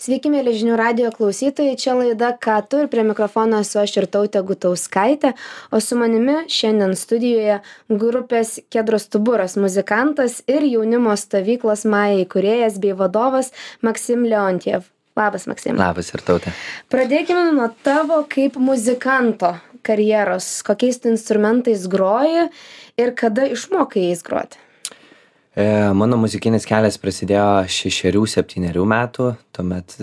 Sveiki, mėly žinių radijo klausytojai, čia laida Ką tu ir prie mikrofono esu aš Irtautė Gutauskaitė, o su manimi šiandien studijoje grupės Kedro stuburas muzikantas ir jaunimo stovyklos Maja įkūrėjas bei vadovas Maksim Leontjev. Labas, Maksim. Labas, Irtautė. Pradėkime nuo tavo kaip muzikanto karjeros, kokiais tu instrumentais groji ir kada išmokai jais groti. Mano muzikinis kelias prasidėjo 6-7 metų, tuomet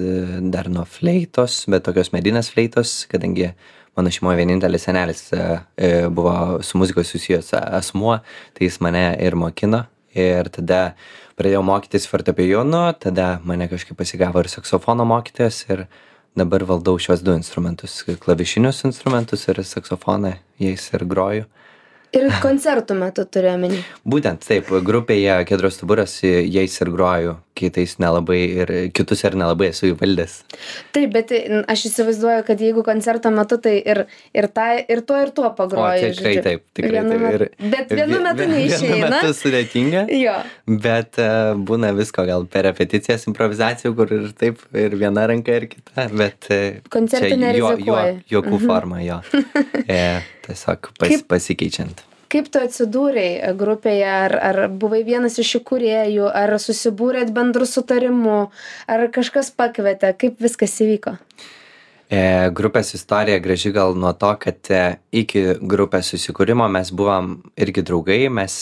dar nuo fleitos, bet tokios medinės fleitos, kadangi mano šeimoje vienintelis senelis buvo su muzikos susijęs asmuo, tai jis mane ir mokino. Ir tada pradėjau mokytis fortepijonu, tada mane kažkaip pasigavo ir saksofono mokytojas ir dabar valdau šios du instrumentus, klavišinius instrumentus ir saksofoną, jais ir groju. Ir koncertų metu turiu omeny. Būtent taip, grupėje Kedro stuburas jais ir groju, kitus ir nelabai esu įvaldęs. Taip, bet aš įsivaizduoju, kad jeigu koncerto metu, tai ir tuo pagroju. Tikrai taip. Bet vienu metu neišeina. Vienu metu sudėtinga, jo. Bet būna visko gal per repeticijas, improvizacijų, kur ir taip, ir viena ranka, ir kita, bet koncertų nerizikuoji. Juokų forma, jo. Tiesiog pasikeičiant. Kaip tu atsidūrei grupėje, ar buvai vienas iš įkūrėjų, ar susibūrėt bendru sutarimu, ar kažkas pakvietė, kaip viskas įvyko? Grupės istorija graži gal nuo to, kad iki grupės susikūrimo mes buvom irgi draugai, mes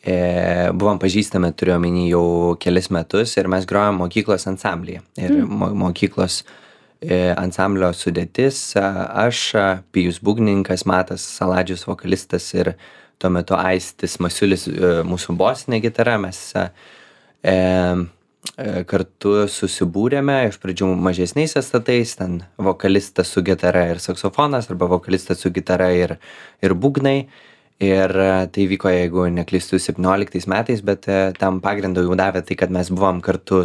buvom pažįstami, turiu omeny jau kelis metus ir mes grojom mokyklos ansamblyje. Ir mokyklos ansamblio sudėtis, aš, Pijus būgnininkas, Matas Saladžius vokalistas ir tuo metu Aistis Masiulis mūsų bosinė gitara, mes kartu susibūrėme iš pradžių mažesniais estatais, ten vokalistas su gitara ir saksofonas, arba vokalistas su gitara ir būgnai. Ir tai vyko, jeigu neklystu, 17 metais, bet tam pagrindą jau davė tai, kad mes buvom kartu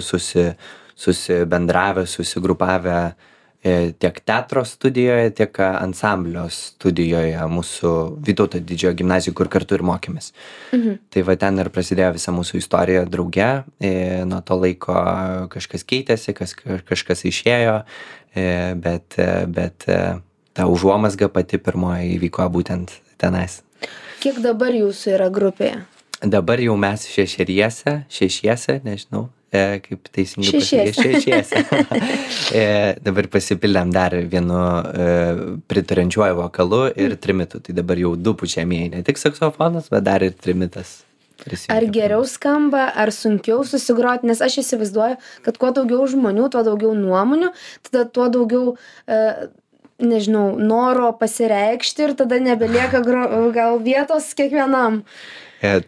susibendravę, susigrupavę tiek teatro studijoje, tiek ansamblio studijoje mūsų Vytauto didžiojo gimnazijoje, kur kartu ir mokėmės. Tai va ten ir prasidėjo visa mūsų istorija drauge. Nuo to laiko kažkas keitėsi, kažkas išėjo, bet ta užuomazga pati pirmoji įvyko būtent tenais. Kiek dabar jūsų yra grupėje? Dabar jau mes šešiese, nežinau, kaip teisingai pasakyti, šešiese. Dabar pasipildėm dar vienu pritarančiuoju vokalu ir trimitu. Tai dabar jau du pučiamieji, ne tik saksofonas, bet dar ir trimitas. Ar geriau skamba, ar sunkiau susigroti, nes aš įsivaizduoju, kad kuo daugiau žmonių, tuo daugiau nuomonių, tada tuo daugiau noro pasireikšti ir tada nebelieka gal vietos kiekvienam.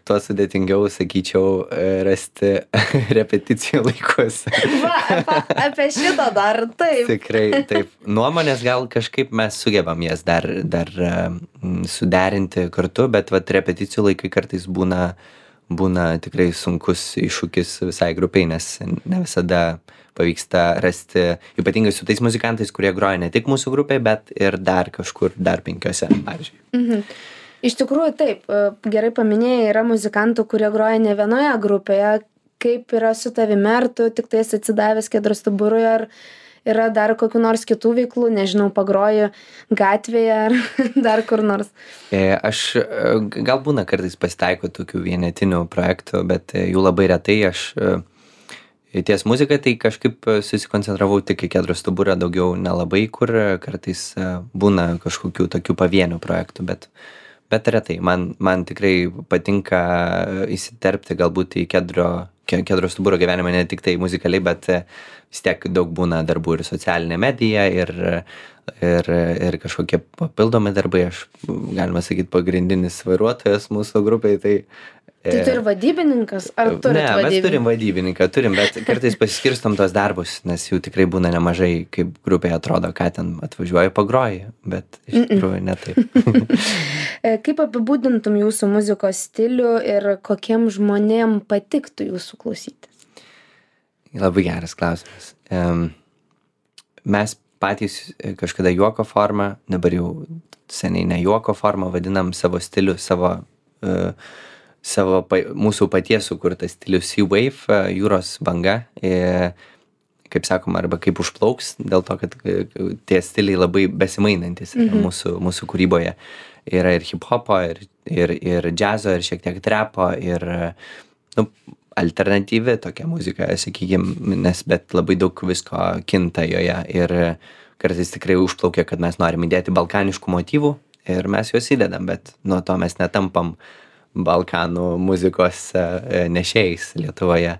Tuo sudėtingiau, sakyčiau, rasti repeticijų laikus. Apie šitą dar, taip. Tikrai, taip. Nuomonės gal kažkaip mes sugebam jas dar suderinti kartu, bet repeticijų laikai kartais būna tikrai sunkus iššūkis visai grupiai, nes ne visada pavyksta rasti, ypatingai su tais muzikantais, kurie groja ne tik mūsų grupėje, bet ir dar kažkur, dar 5, pavyzdžiui. Iš tikrųjų, taip, gerai paminėjai, yra muzikantų, kurie groja ne vienoje grupėje. Kaip yra su tavimi, ar tu tik tais atsidavęs Kedro stuburui, ar yra dar kokių nors kitų veiklų, nežinau, pagroji gatvėje ar dar kur nors? Aš gal būna kartais pasitaiko tokių vienetinių projektų, bet jų labai retai. Aš ties muziką tai kažkaip susikoncentravau tik į Kedro stuburą, daugiau nelabai, kur kartais būna kažkokių tokių pavienių projektų, bet retai. Man tikrai patinka įsiterpti galbūt į Kedro stuburo gyvenimą ne tik tai muzikaliai, bet vis tiek daug būna darbų ir socialinė medija, ir kažkokie papildomi darbai. Aš, galima sakyti, pagrindinis vairuotojas mūsų grupiai. Tai tu ir vadybininkas? Ar turit vadybininką? Ne, mes turim vadybininką, bet kartais pasiskirstom tos darbus, nes jų tikrai būna nemažai, kaip grupėje atrodo, ką ten atvažiuoji, pagroji, bet iš tikrųjų ne taip. Kaip apibūdintum jūsų muzikos stilių ir kokiem žmonėm patiktų jūsų klausytis? Labai geras klausimas. Mes patys kažkada juoko formą, dabar jau seniai ne juoko formą, vadinam savo stilių, mūsų paties sukurtas stilius Sea Wave, jūros banga. kaip sakoma, arba kaip užplauks, dėl to, kad tie stiliai labai besimainantis yra mūsų kūryboje. Yra ir hip-hopo, ir džiazo, ir šiek tiek trepo, ir alternatyvi tokia muzika, sakykime, bet labai daug visko kinta joje. Ir kartais tikrai užplaukia, kad mes norim įdėti balkaniškų motyvų ir mes juos įdedam, bet nuo to mes netampam Balkanų muzikos nešėjais Lietuvoje.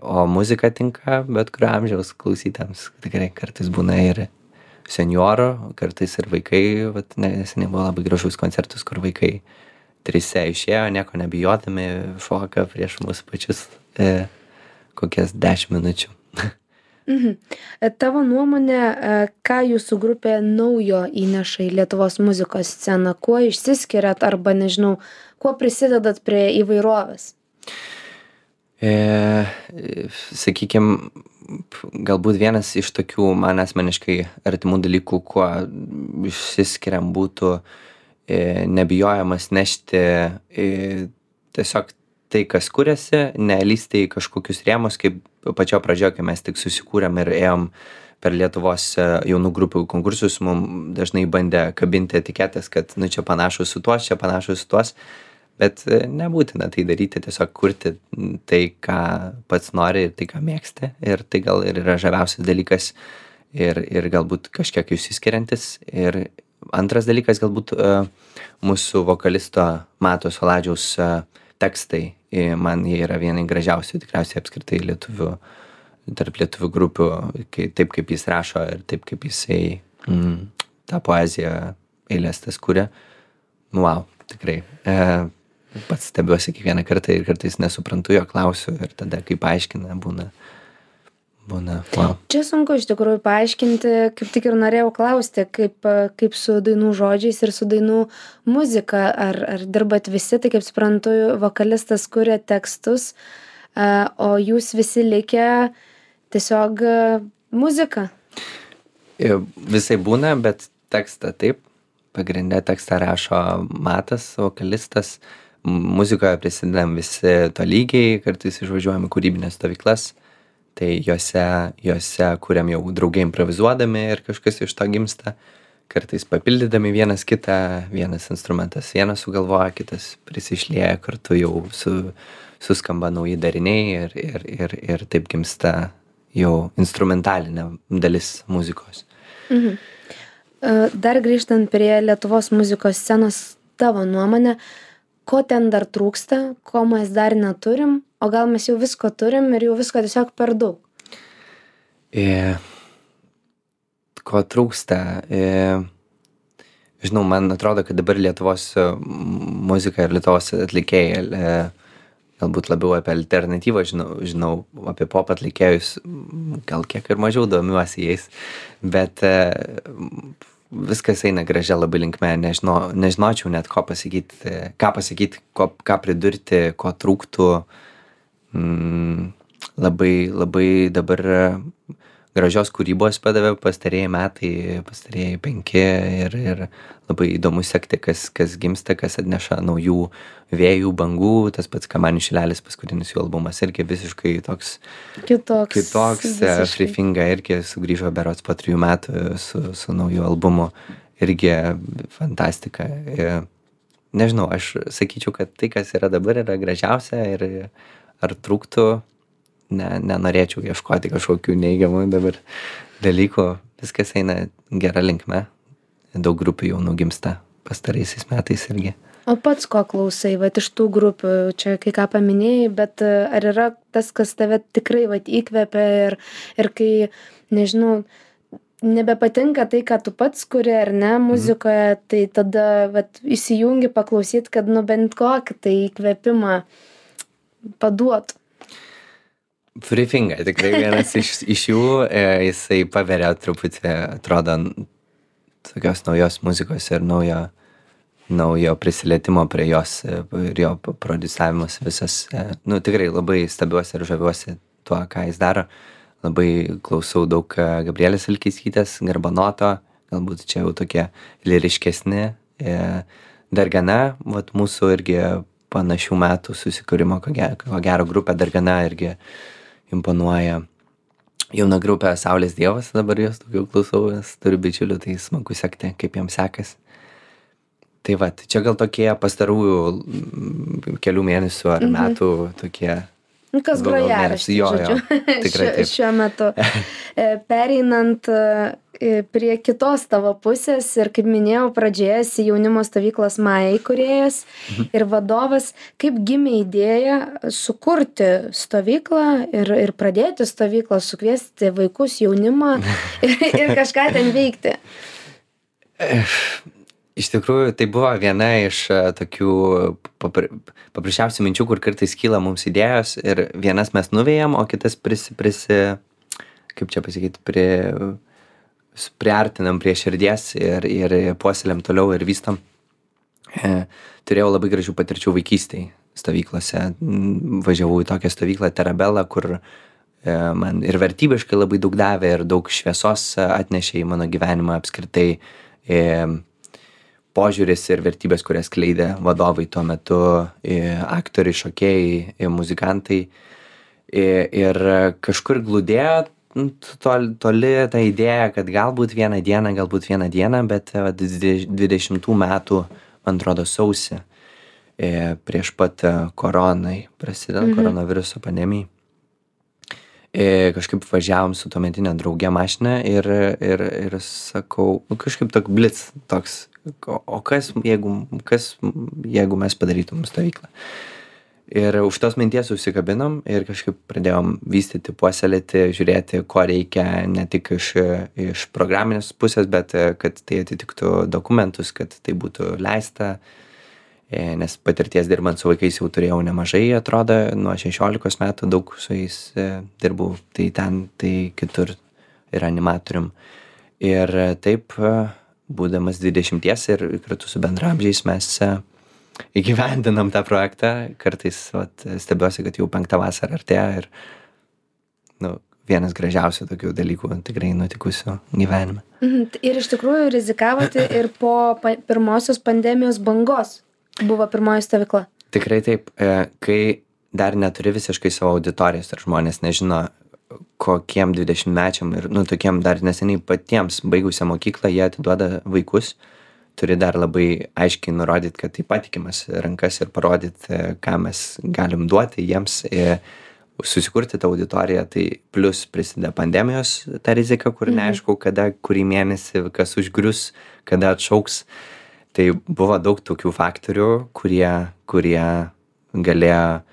O muzika tinka bet kurio amžiaus klausytams. Tikrai kartais būna ir senjorų, kartais ir vaikai. Neseniai buvo labai gražus koncertus, kur vaikai trise išėjo, nieko nebijodami, šoka prieš mus pačius kokias 10 minučių. Tavo nuomonė, ką jūsų grupė naujo įneša į Lietuvos muzikos sceną? Kuo išsiskiriat arba, nežinau, kuo prisidedat prie įvairovės? Sakykime, galbūt vienas iš tokių man asmeniškai artimų dalykų, kuo išsiskiriam, būtų nebijojimas nešti tiesiog tai, kas kuriasi, nelįsti į kažkokius rėmus, kaip pačio pradžioje, kai mes tik susikūrėm ir ėjom per Lietuvos jaunų grupių konkursus, mums dažnai bandė kabinti etiketės, kad čia panašus su tuos, čia panašus su tuos, bet nebūtina tai daryti, tiesiog kurti tai, ką pats nori ir tai, ką mėgsti, ir tai gal ir yra žaviausias dalykas ir galbūt kažkiek išsiskiriantis. Ir antras dalykas galbūt mūsų vokalisto Mato Saladžiaus tekstai, man jie yra vieni gražiausių tikriausiai apskritai tarp lietuvių grupių, taip kaip jis rašo ir taip kaip jisai tą poeziją eilės tas kuria. Wow, tikrai. Pats stebiuosi kiekvieną kartą ir kartais nesuprantu jo, klausiu ir tada kaip paaiškina būna wow. Čia sunku iš tikrųjų paaiškinti, kaip tik ir norėjau klausti, kaip su dainų žodžiais ir su dainų muzika, ar dirbat visi, tai kaip suprantu, vokalistas kuria tekstus, o jūs visi likę tiesiog muziką. Visai būna, bet tekstą taip, pagrindė tekstą rašo Matas, vokalistas, muzikoje prisidedam visi tolygiai, kartais išvažiuojam į kūrybinės stovyklas. Tai juose kuriam jau draugai improvizuodami ir kažkas iš to gimsta, kartais papildydami vienas kitą, vienas instrumentas vienas sugalvoja, kitas prisišlieja, kartu jau suskamba nauji dariniai ir taip gimsta jau instrumentalinė dalis muzikos. Dar grįžtant prie Lietuvos muzikos scenos, tavo nuomonė, ko ten dar trūksta, ko mes dar neturim, o gal mes jau visko turim ir jau visko tiesiog per daug? Ko trūksta? Žinau, man atrodo, kad dabar Lietuvos muzika ir Lietuvos atlikėjai, galbūt labiau apie alternatyvą žinau apie pop atlikėjus, gal kiek ir mažiau domiuosi jais, bet viskas eina gražia labai linkme, nežinočiau net ką pasakyti, ką pridurti, ko trūktų. Labai dabar gražios kūrybos padavė pastarieji metai, pastarieji 5 ir labai įdomu sekti, kas gimsta, kas atneša naujų vėjų, bangų. Tas pats Kamanių šilelis, paskutinis jų albumas, irgi visiškai toks kitoks Free Finga irgi sugrįžo berods po 3 metų su nauju albumu, irgi fantastika. Nežinau, aš sakyčiau, kad tai, kas yra dabar, yra gražiausia ir ar trūktų, nenorėčiau ieškoti kažkokių neigiamų dabar dalykų. Viskas eina gera linkme. Daug grupių jau nugimsta pastaraisiais metais irgi. O pats ko klausai, iš tų grupių, čia kai ką paminėjai, bet ar yra tas, kas tave tikrai įkvepia ir kai, nežinau, nebepatinka tai, ką tu pats kuri ar ne muzikoje, tai tada įsijungi paklausyt, kad bent kokį tai įkvėpimą paduotų. Free Finga, tikrai vienas iš jų, jisai paveria truputį, atrodo, tokios naujos muzikos ir naujo prisilietimo prie jos ir jo prodiusavimas visas. Tikrai labai stebiuosi ir žaviuosi tuo, ką jis daro. Labai klausau daug Gabrielės Vilkeiskytės, Garbanoto, galbūt čia jau tokie lyriškesni. Dargana, mūsų irgi panašių metų susikūrimo, ko gero grupė Dargana irgi imponuoja. Jauna grupė Saulės Dievas, dabar jos daugiau klausau, nes turiu bičiulių, tai smagu sekti, kaip jiems sekas. Tai va, čia gal tokie pastarųjų kelių mėnesių ar metų tokie. Kas grojaraštis, žodžiu, tikrai taip. Šiuo metu. Pereinant prie kitos tavo pusės ir kaip minėjau pradžioje, esi jaunimo stovyklos Maja įkūrėjas ir vadovas, kaip gimė idėja sukurti stovyklą ir pradėti stovyklą, sukviesti vaikus, jaunimą ir kažką ten veikti? Iš tikrųjų, tai buvo viena iš tokių paprasčiausių minčių, kur kartais kyla mums idėjos ir vienas mes nuvėjam, o kitas kaip čia pasakyti, priartinam prie širdies ir puoselėm toliau ir vystam. Turėjau labai gražių patirčių vaikystėj stovyklose. Važiavau į tokią stovyklą Terabelą, kur man ir vertybiškai labai daug davė ir daug šviesos atnešė į mano gyvenimą apskritai. Požiūris ir vertybės, kurias skleidė vadovai tuo metu, aktoriai, šokėjai, muzikantai. Ir kažkur glūdėjo toli ta idėja, kad galbūt vieną dieną, bet 20 metų, man atrodo, sausį, prieš pat koronai, prasidedant koronaviruso pandemijai. Kažkaip važiavom su tuometinė draugė mašiną ir sakau, kažkaip toks blitz toks, o kas jeigu mes padarytum stovyklą. Ir už tos minties užsikabinom ir kažkaip pradėjom vystyti, puoselėti, žiūrėti, ko reikia ne tik iš programinės pusės, bet kad tai atitiktų dokumentus, kad tai būtų leista, nes patirties dirbant su vaikais jau turėjau nemažai, atrodo, nuo 16 metų daug su jais dirbau, tai ten, tai kitur ir animatorium. Ir taip, būdamas 20 ir kartu su bendramžiais mes įgyvendinam tą projektą, kartais stebiuosi, kad jau 5 vasarą artėja ir vienas gražiausių tokių dalykų tikrai nutikusių gyvenime. Ir iš tikrųjų rizikavote ir po pirmosios pandemijos bangos buvo pirmoji stovykla. Tikrai taip, kai dar neturi visiškai savo auditorijos ir žmonės nežino, kokiem 20-mečiam ir tokiem dar neseniai patiems baigusią mokyklą jie atiduoda vaikus, turi dar labai aiškiai nurodyti, kad tai patikimas rankas ir parodyti, ką mes galim duoti jiems, susikurti tą auditoriją, tai plus prisideda pandemijos ta rizika, kur neaišku, kada, kurį mėnesį, kas užgrius, kada atšauks. Tai buvo daug tokių faktorių, kurie galėjo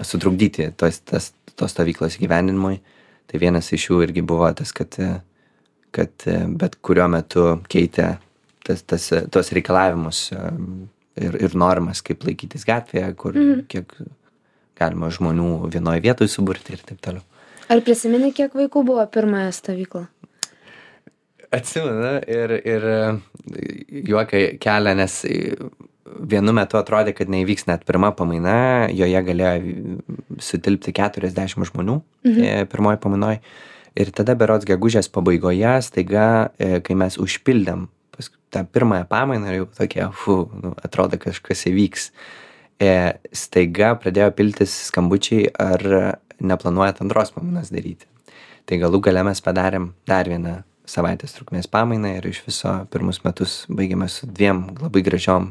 sutrukdyti tos stovyklos įgyvendinimui. Tai vienas iš jų irgi buvo tas, kad bet kuriuo metu keitė tos reikalavimus ir normas, kaip laikytis gatvėje, kur kiek galima žmonių vienoje vietoje suburti ir taip toliau. Ar prisimeni, kiek vaikų buvo pirmąją stovyklą? Atsimenu ir juoką kelia, nes vienu metu atrodė, kad neįvyks net pirma pamaina, joje galėjo sutilpti 40 žmonių pirmoji pamainoj. Ir tada berods gegužės pabaigoje staiga, kai mes užpildėm tą pirmąją pamainą ir jau tokie, atrodo kažkas įvyks, staiga pradėjo piltis skambučiai, ar neplanuojat antros pamainos daryti. Tai galų gale mes padarėm dar vieną savaitės trukmės pamainą ir iš viso pirmus metus baigėme su 2 labai gražiom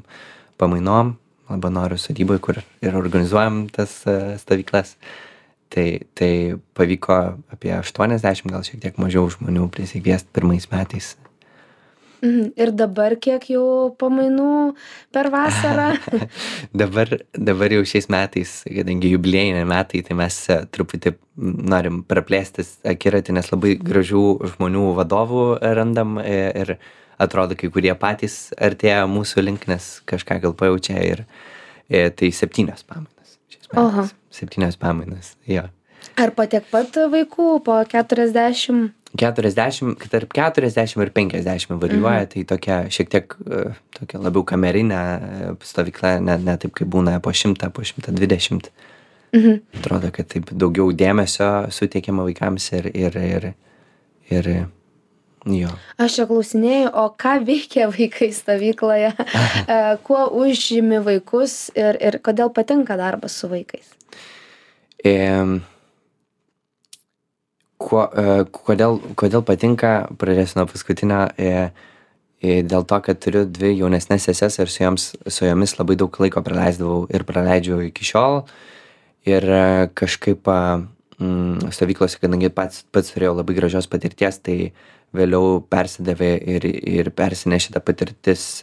pamainom Labanoro sodyboje, kur ir organizuojam tas stovyklas. Tai pavyko apie 80, gal šiek tiek mažiau žmonių prisikviesti pirmais metais. Ir dabar kiek jau pamainų per vasarą? Dabar jau šiais metais, kadangi jubiliejiniai metai, tai mes truputį norim praplėstis akiratį, nes labai gražių žmonių vadovų randam ir atrodo, kai kurie patys artėja mūsų link, nes kažką gal pajaučia ir tai 7 pamainas. 7 pamainas, jo. Ar po tiek pat vaikų, po 40? 40, tarp 40 ir 50 varijuoja, tai tokia šiek tiek tokia labiau kamerinė stovykla, ne taip kaip būna po 100, po 120. Atrodo, kad taip daugiau dėmesio suteikiama vaikams ir jo. Aš čia klausinėjau, o ką veikia vaikai stovykloje, kuo užžymi vaikus ir kodėl patinka darbas su vaikais? Kodėl patinka, pradėsiu nuo paskutinio, dėl to, kad turiu 2 jaunesnes seses ir su jomis labai daug laiko praleisdavau ir praleidžiu iki šiol. Ir kažkaip stovyklose, kadangi pats turėjau labai gražios patirties, tai vėliau persidavė ir persinešė ta patirtis,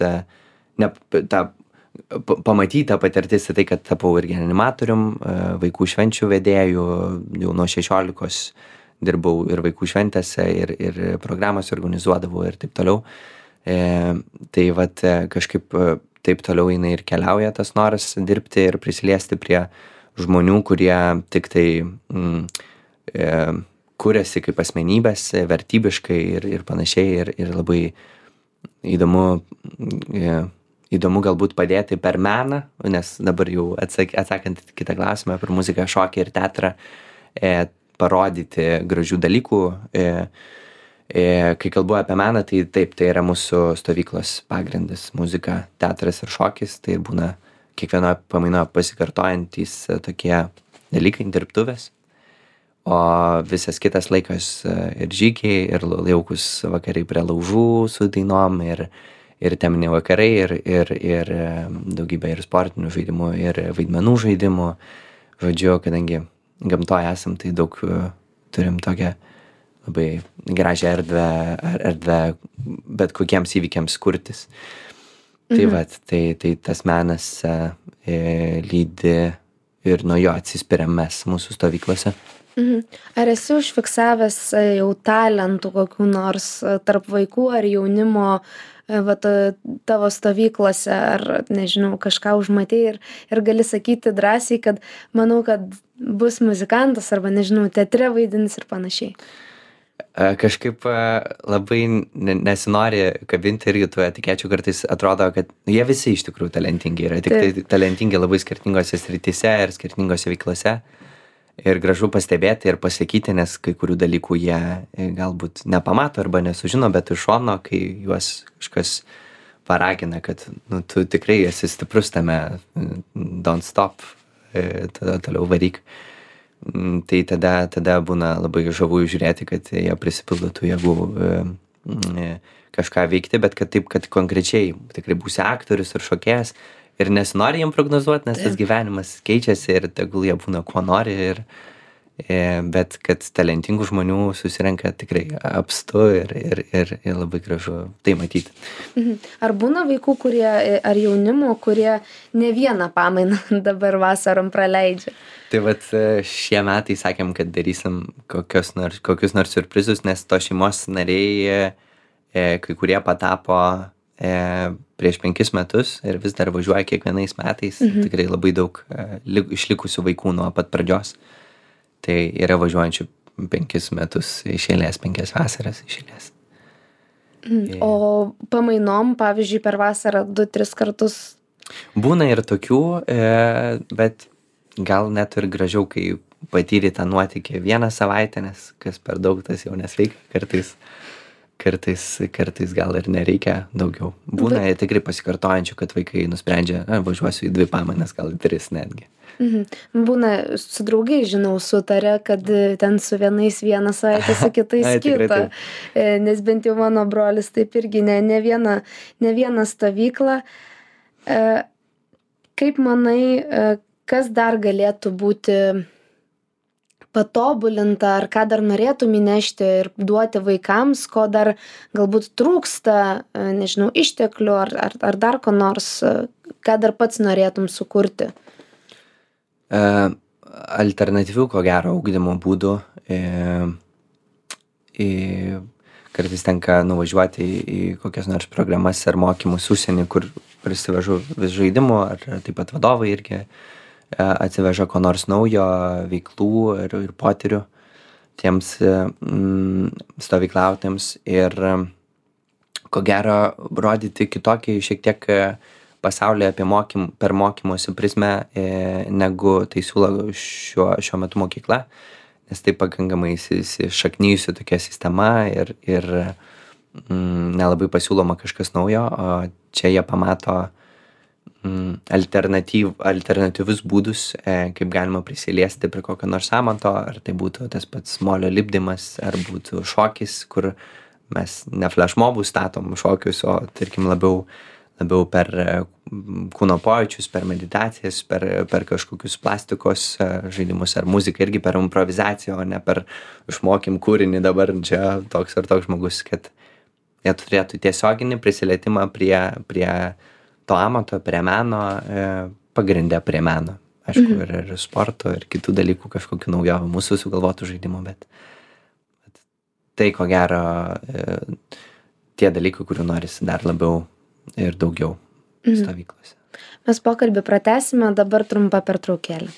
pamatyta patirtis į tai, kad tapau irgi animatorium, vaikų švenčių vedėjų, jau nuo 16 dirbau ir vaikų šventėse, ir programas organizuodavau ir taip toliau. Tai vat kažkaip taip toliau jinai ir keliauja tas noras dirbti ir prisiliesti prie žmonių, kurie tik tai kuriasi kaip asmenybės vertybiškai ir panašiai, ir labai įdomu galbūt padėti per meną, nes dabar jau atsakant į kitą klausimą per muziką, šokį ir teatrą, parodyti gražių dalykų. Kai kalbu apie meną, tai taip, tai yra mūsų stovyklos pagrindas - muzika, teatras ir šokis. Tai būna kiekvienoje pamainoje pasikartojantys tokie dalykai, dirbtuvės. O visas kitas laikas ir žygiai, ir jaukus vakarai prie laužų su dainom, ir teminiai vakarai, ir daugybė ir sportinių žaidimų, ir vaidmenų žaidimų. Žodžiu, kadangi gamtoje esam, tai daug turim tokią labai gražią erdvę bet kokiems įvykiams kurtis. Tai vat, tai tas menas lydi ir nuo jo atsispiriam mes mūsų stovyklose. Ar esi užfiksavęs jau talentų kokių nors tarp vaikų ar jaunimo tavo stovyklose, ar nežinau, kažką užmatei ir gali sakyti drąsiai, kad manau, kad bus muzikantas arba nežinau, teatre vaidins ir panašiai? Kažkaip labai nesinori kabinti irgi tų etikečių, kartais atrodo, kad jie visi iš tikrųjų talentingi yra, tik tai talentingi labai skirtingose srityse ir skirtingose veiklose. Ir gražu pastebėti ir pasakyti, nes kai kurių dalykų jie galbūt nepamato arba nesužino, bet iš šono, kai juos kažkas paragina, kad tu tikrai esi stiprus tame, don't stop, tada toliau varyk. Tai tada būna labai žavu žiūrėti, kad jie prisipildo tų jėgų kažką veikti, bet kad taip, kad konkrečiai tikrai būsi aktorius ir šokėjas ir nesinori jiem prognozuoti, nes tas gyvenimas keičiasi ir tegul jie būna kuo nori, bet kad talentingų žmonių susirenka tikrai apstu ir labai gražu tai matyti. Ar būna vaikų, ar jaunimo, kurie ne vieną pamainą dabar vasarom praleidžia? Tai vat šie metai sakėm, kad darysim kokius nors siurprizus, nes to šeimos nariai kai kurie patapo prieš 5 metus ir vis dar važiuoja kiekvienais metais. Tikrai labai daug išlikusių vaikų nuo pat pradžios. Tai yra važiuojančių 5 metus iš eilės, 5 vasaras iš eilės. O pamainom, pavyzdžiui, per vasarą 2-3 kartus? Būna ir tokių, bet gal net ir gražiau, kai patyri tą nuotykį 1 savaitę, nes kas per daug, tas jau nesveika kartais gal ir nereikia daugiau. Būna tikrai pasikartojančių, kad vaikai nusprendžia, važiuosiu į 2 pamainas, gal 3 netgi. Būna su draugai, žinau, sutarė, kad ten su vienais 1 savaitę, su kitais kitą. Nes bent jau mano brolis taip irgi ne vieną stovyklą. Kaip manai, kas dar galėtų būti patobulinta, ar ką dar norėtum įnešti ir duoti vaikams, ko dar galbūt trūksta, nežinau, išteklių ar dar ko nors, ką dar pats norėtum sukurti? Alternatyvių, ko gero, ugdymo būdų. Kartais tenka nuvažiuoti į kokias nors programas ar mokymus užsienį, kur prisivežu vis žaidimų, ar taip pat vadovai irgi atsiveža ko nors naujo, veiklų ir potyrių tiems stovyklautėms ir ko gero rodyti kitokį šiek tiek pasaulį per mokymosi prizmę, negu tai siūlo šiuo metu mokykla, nes tai pakankamai įsišaknijusi tokia sistema ir nelabai pasiūloma kažkas naujo, o čia jie pamato alternatyvius būdus, kaip galima prisiliesti prie kokio nors amato, ar tai būtų tas pats molio lipdymas, ar būtų šokis, kur mes ne flashmobus statom šokius, o tarkim labiau per kūno pojūčius, per meditacijas, per kažkokius plastikos žaidimus, ar muziką irgi per improvizaciją, o ne per išmokym kūrinį dabar čia toks ar toks žmogus, kad jie turėtų tiesioginį prisilietimą prie to amato, prie meno, pagrindę prie meno. Aišku, ir sporto, ir kitų dalykų, kažkokių naujovių, mūsų sugalvotų žaidimų, bet tai, ko gero, tie dalykai, kurių norisi dar labiau ir daugiau stovyklose. Mes pokalbį pratęsime, dabar trumpa pertraukėlė.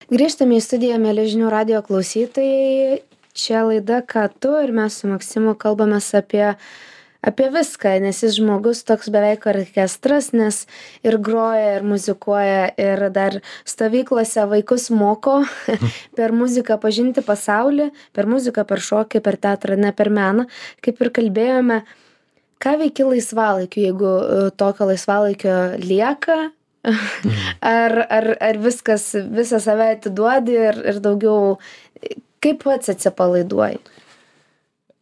Grįžtame į studiją, mieli žinių radijo klausytojai. Čia laida Ką tu, ir mes su Maksimu kalbamės apie viską, nes jis žmogus toks beveik orkestras, nes ir groja, ir muzikuoja, ir dar stovyklose vaikus moko per muziką pažinti pasaulį, per muziką, per šokį, per teatrą, ne per meną. Kaip ir kalbėjome, ką veiki laisvalaikiu, jeigu tokio laisvalaikio lieka, ar visą save atiduodi ir daugiau, kaip pats atsipalaiduoji?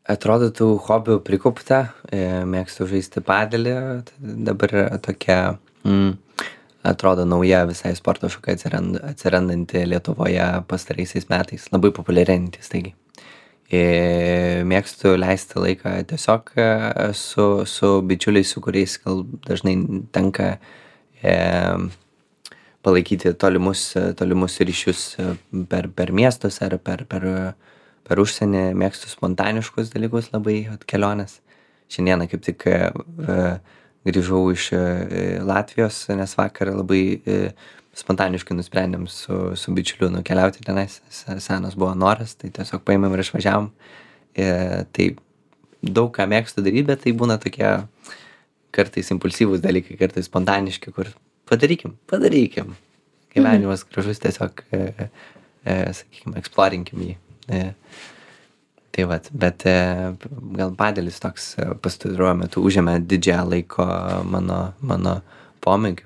Atrodytų hobių prikaupta, mėgstu žaisti padelį, dabar tokia, atrodo, nauja visai sporto šaka atsirandanti Lietuvoje pastaraisiais metais, labai populiarėjantis, taigi. Mėgstu leisti laiką tiesiog su bičiuliais, su kuriais gal dažnai tenka palaikyti tolimus ryšius per miestus ar per užsienį. Mėgstu spontaniškus dalykus labai, keliones. Šiandieną kaip tik grįžau iš Latvijos, nes vakar labai spontaniškai nusprendėm su bičiuliu nukeliauti tenais. Senas buvo noras, tai tiesiog paėmėm ir išvažiavom. Tai daug ką mėgstu daryti, bet tai būna tokie kartais impulsyvūs dalykai, kartais spontaniški, kur padarykim. Gyvenimas gražus, tiesiog, sakykime, eksplorinkim jį. Tai vat, bet gal padelis toks pastaruoju metu užėmė didžiąją laiko mano pomėgių.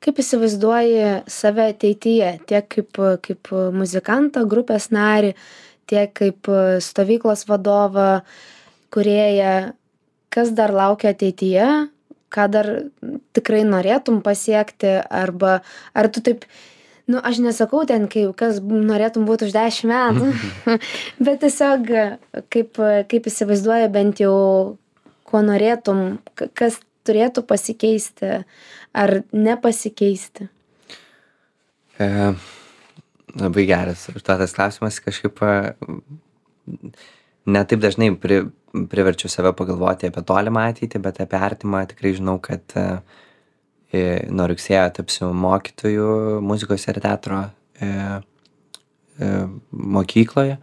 Kaip įsivaizduoji save ateityje, tiek kaip muzikantą, grupės narį, tiek kaip stovyklos vadovą, kūrėją, kas dar laukia ateityje, ką dar tikrai norėtum pasiekti, arba ar tu taip, aš nesakau ten, kas norėtum būti už 10 metų, bet tiesiog kaip įsivaizduoji bent jau, ko norėtum, kas turėtų pasikeisti ar nepasikeisti? Labai geras užduotas klausimas, kažkaip ne taip dažnai priverčiu save pagalvoti apie tolimą ateitį, bet apie artimą tikrai žinau, kad nuo rugsėjo tapsiu mokytoju muzikos ir teatro mokykloje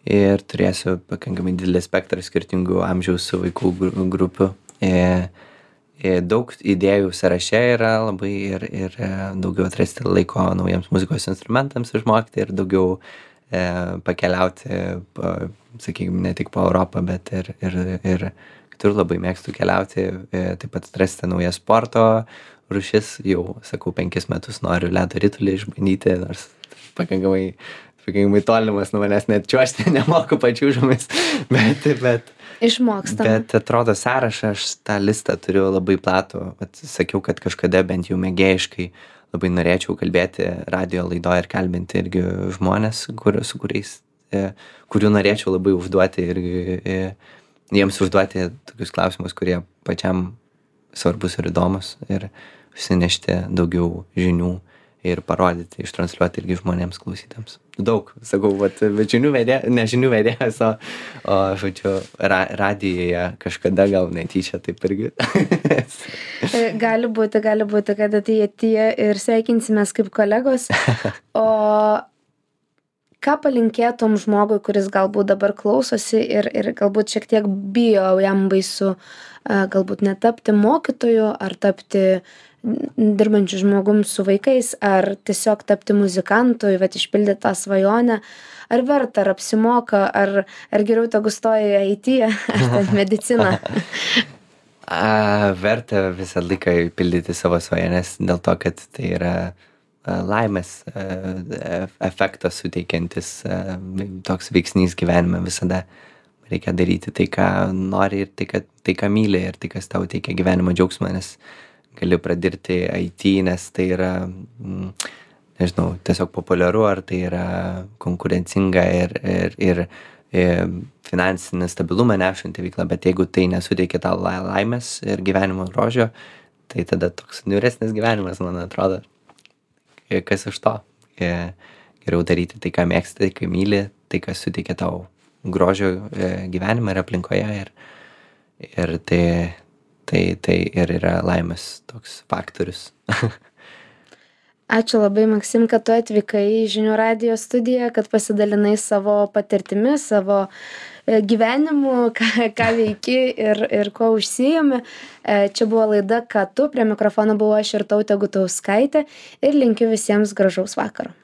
ir turėsiu pakankamai didelį spektrą skirtingų amžiaus vaikų grupių. Daug idėjų sąraše yra labai ir daugiau atrasti laiko naujiems muzikos instrumentams išmokti ir daugiau pakeliauti, sakykime, ne tik po Europą, bet ir kitur. Labai mėgstu keliauti, taip pat atrasti naujas sporto rūšis. Jau, sakau, 5 metus noriu ledo ritulį išbandyti, nors pakankamai tolimas nuo manęs, net čiuožti nemoku pačiūžomis, bet išmokstam. Bet atrodo sąrašą, aš tą listą turiu labai platų. Sakiau, kad kažkada bent jau mėgėjiškai labai norėčiau kalbėti radijo laidoje ir kalbinti irgi žmonės, su kuriais, kurių norėčiau labai užduoti ir jiems užduoti tokius klausimus, kurie pačiam svarbus ir įdomus, ir susinešti daugiau žinių ir parodyti, ištransliuoti irgi žmonėms klausytams. Daug, sakau, bet ne žinių vedėjas, o žodžiu, radijoje kažkada gal netyčia taip irgi. Gali būti, kad ateityje ir sveikinsimės kaip kolegos. O ką palinkėtum žmogui, kuris galbūt dabar klausosi ir galbūt šiek tiek bijo, jam baisu galbūt netapti mokytoju ar tapti dirbančiu žmogum su vaikais, ar tiesiog tapti muzikantu, bet išpildyti tą svajonę, ar verta, ar apsimoka, ar geriau tegu stoja į IT, ar ten mediciną? Verta visą laiką pildyti savo svajones dėl to, kad tai yra laimės efektą suteikiantis toks veiksnys gyvenime. Visada reikia daryti tai, ką nori ir tai, ką myli ir tai, kas tau teikia gyvenimo džiaugsmą, nes gali pradėti IT, nes tai yra, nežinau, tiesiog populiaru, ar tai yra konkurencinga ir finansinį stabilumą nešanti veikla, bet jeigu tai nesuteikia tau laimės ir gyvenimo grožio, tai tada toks niūresnis gyvenimas, man atrodo. Kas iš to? Geriau daryti tai, ką mėgsti, tai, ką myli, tai, kas suteikia tau grožio gyvenimą ir aplinkoje. Ir tai ir yra laimės toks faktorius. Ačiū labai, Maksim, kad tu atvykai į Žinių radijo studiją, kad pasidalinai savo patirtimi, savo gyvenimu, ką veiki ir kuo užsiimi. Čia buvo laida Ką tu, prie mikrofono buvau aš Irtautė Gutauskaitė ir linkiu visiems gražaus vakaro.